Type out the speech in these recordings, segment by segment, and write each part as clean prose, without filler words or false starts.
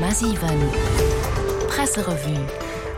100,7 Presserevue.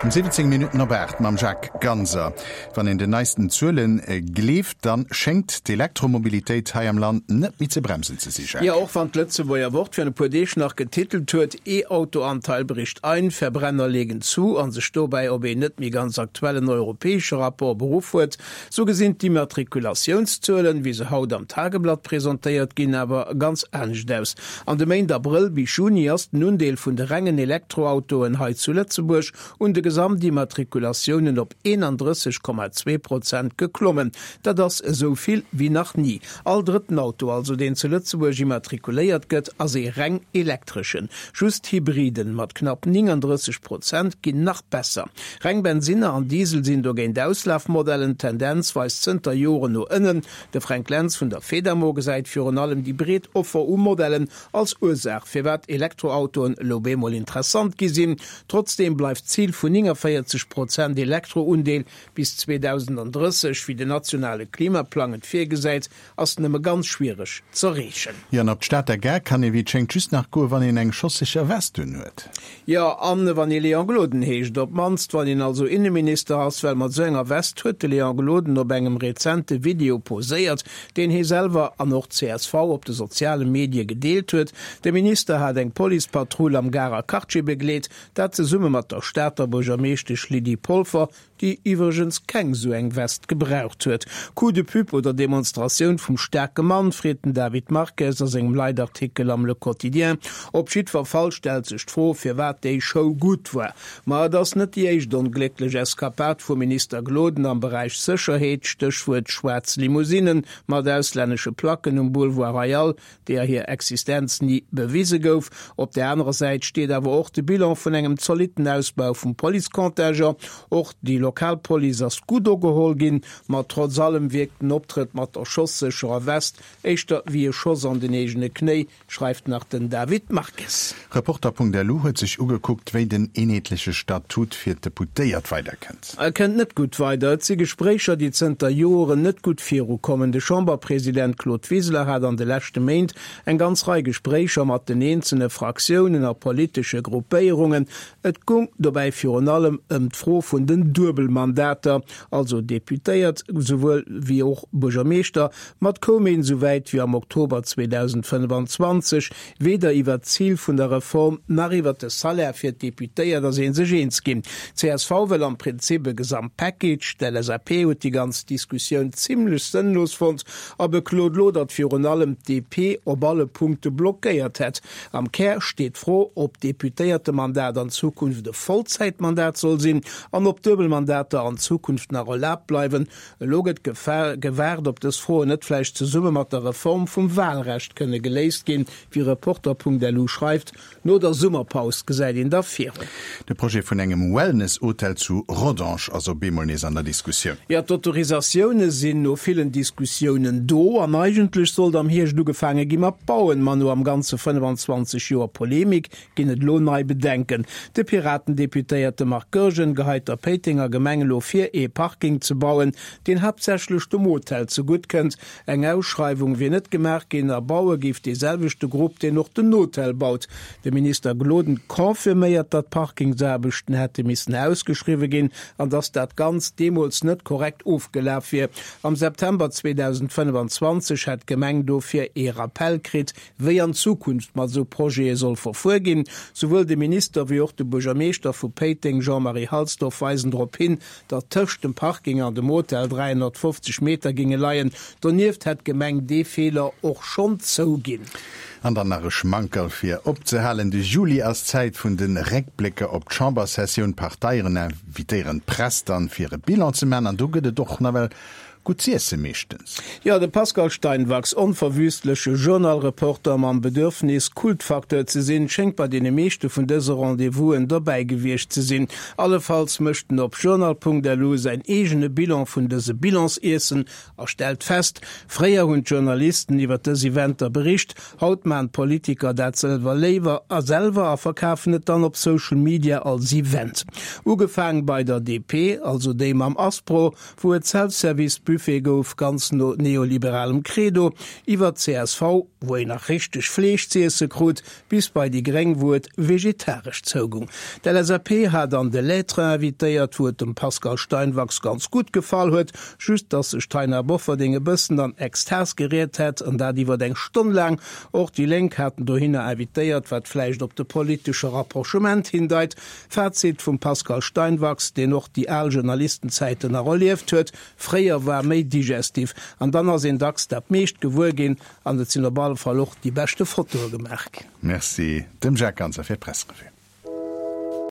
Um 17 Minutten op 8 mam Jacques Ganser. Wann een den neisten Zuelen gleeft, dann schéngt d'Elektromobilitéit hei am Land net méi ze bremsen ze si, Jacques. Jo, och wann d'Lëtzebuerger Wort virun e puer Deeg nach getitelt huet, E-Auto-Anteil bricht ein, Verbrenner legen zu a sech dobäi op een net méi ganz aktuellen europäesche Rapport beruff huet, Sou gesinn d'Immatrikulatiounszuelen, wéi se haut am Tageblatt presentéiert ginn, awer ganz anescht aus. An de Méint Abrëll bis Juni ass den Undeel vun de rengen Elektroautoen hei zu Lëtzebuerg un de Gesamtimmatrikulatiounen op 31,2 Prozent geklommen. Dat ass esou vill wéi nach ni. All drëtten Auto also, deen zu Lëtzebuerg immatrikuléiert gëtt, ass ee reng elektreschen. Just d'Hybriden mat knapp 39 Prozent ginn nach besser. Reng Bensinner an Diesel sinn dogéint Auslafmodellen. D'Tendenz weist zënter Joren no ënnen. De Fränk Lentz vun der Fedamo gesäit virun allem déi breet Offer u Modellen als Ursaach, firwat Elektroautoen elo bemol interessant gi sinn. Trotzdeem bleift d'Zil vun 49 Prozent Elektroundeel bis 2030, wéi den nationale Klimaplang et virgesäit, ass nëmme ganz schwiereg z'erreechen. Jo, an op d'Stater Gare kann ee wéi et schéngt just nach goen, wann een eng schossécher Vest un huet. Jo, an wann ee Léon Gloden heescht. Op d'mannst wann een also Inneminister ass, well mat esou enger Vest huet de Léon Gloden op engem rezente Video poséiert, deen hee selwer an och d'CSV op de soziale Medie gedeelt huet. De Minister hat eng Policepatrull am Garer Quartier begleet, Dat zesumme mat der Stater Buergermeeschtesch Lydie Polfer, déi iwwregens keng sou eng Vest gebraucht huet. Coup de pub oder Demonstratioun vum staarke Mann, freet den David Marques a sengem Leitartikel am Le Quotidien. Op jiddwer Fall stellt sech d'Fro, firwat déi Show gutt war. Ma et ass net déi éischt onglécklech Eskapad vum Minister Gloden am Beräich Sécherheet, Stéchwuert schwaarz Limousinnen mat auslännesche Placken um Boulevard Royal, deeër hir Existenz ni bewise gouf. Op där anerer Säit steet awer och de Bilan vun engem zolitten Ausbau vum Policecontingent. Och déi lokal Police ass gutt ogeholl ginn, ma trotz allem wierkt den Optrëtt mat der schossécherer West éischter wéi e Schoss an den eegene Knéi, schreift nach den David Marques. Reporter.lu huet sech ugekuckt, wéi den eenheetleche Statut fir d'Deputéiert weiderkënnt. E kënnt net gutt weider. Et si Gespréicher, déi zënter Joren net gutt virukommen. De Chamberpresident Claude Wiseler hat an de leschte Méint eng ganz Rei Gespréicher mat den eenzele Fraktiounen a politesche Gruppéierungen. Et gung dobäi virun allem ëm d'Fro vun den Duebelmandater, also Deputéiert souwuel wéi och Buergermeeschter. Mat koum een esou wäit wéi am Oktober 2025. Weder iwwert d'Zil vun der Reform nach iwwert de Salaire fir d'Deputéiert ass ee sech eens ginn. Csv wëll am Prinzip e Gesamtpackage, d'LSAP huet déi ganz Diskussioun zimmlech sënnlos fonnt a beklot lo, datt virun allem d'DP op alle Punkte blockéiert hätt. Am Kär steet d'Fro, ob d'Deputéiertemandat an Zukunft e Vollzäitmandat soll sinn an ob Duebelmandater an Zukunft nach erlaabt bleiwen. Elo gëtt gewaart, ob dës Froen net vläicht zesumme mat der Reform vum Wahlrecht kënne geléist ginn, wéi Reporter.lu schreift. No der Summerpaus gesäit een da virun. De Projet vun engem Wellness-Hotel zu Rodange ass op eemol nees an der Diskussioun. Jo, d'Autorisatioune sinn no villen Diskussiounen do an eigentlech sollt am Hierscht ugefaange gi mat bauen. Ma no am Ganze 25 Joer Polemik ginn et elo nei Bedenken. De Piraten-Deputéierte Marc Goergen geheit der Péitenger Gemeng elo vir, ee Parking ze bauen, deen haaptsächlech dem Hotel zegutt kënnt. Eng Ausschreiwung wier net gemaach ginn a baue géif dee selwechte Grupp, deen och den Hotel baut. De Minister Gloden confirméiert, datt d'Parkingsaarbechten hätte missen ausgeschriwwe ginn an datt dat Ganzt deemools net korrekt ofgelaf wier. Am September 2025 hätt d'Gemeng dofir ee Rappell kritt, wéi an Zukunft mat esou Projete soll verfuer ginn. Souwuel de Minister wéi och de Buergermeeschter vu Péiteng Jean-Marie Halsdorf weisen drop hin, datt tëscht dem Parking an dem Hotel 350 Meter géinge leien. Donieft hätt d'Gemeng dee Feeler och schonn zouginn. An dann nach e Schmankerl fir opzehalen, De Juli ass d'Zäit vun de Réckblécker op d'Chambersessioun. D'Parteien invitéieren d'Press dann, fir e Bilan ze maachen. An do gëtt et och nawell Gutt z'iessen meeschtens. Jo, de Pascal Steinwachs, onverwüstleche Journal-Reporter mam Bedürfnis, Kultfacteur ze sinn, schéngt bei deene meeschte vun dëse Rendez-vousen dobäi gewiescht ze sinn. Allefalls mécht en op journal.lu säin eegene Bilan vun dëse Bilansiessen a stellt fest, Fréier hunn d'Journalisten iwwer dës Eventer bericht, haut maachen d'Politiker dat selwer léiwer a selwer a verkafen et dann op Social Media als Event. Ugefaang bei der DP, also déi mam Aspro, wou et Self-Service-Buffeten. Buffet gouf, ganz no neoliberalem Credo, iwwer csv, wou een nach richteg Fleesch z'iesse krut, bis bei déi Gréng, wou et vegetaresch zougung. D'LSAP hat an de Lettres invitéiert, wou et dem Pascal Steinwachs ganz gutt gefall huet, just dass sech d'Taina Bofferding e bëssen an Extas geriet hätt, an dat iwwert eng Stonn laang. Och déi Lénk haten dohinner invitéiert, wat vläicht op de politesche Rapprochement hindeit. Fazit vum Pascal Steinwachs, deen och déi al Journalistenzäiten nach erlieft huet, Fréier war méi digestif an dann ass een dacks dat meescht gewuer ginn an et sinn op alle Fall och déi beschte Fotoe gemaach ginn. Merci dem Jacques Ganser fir d'Presserevue.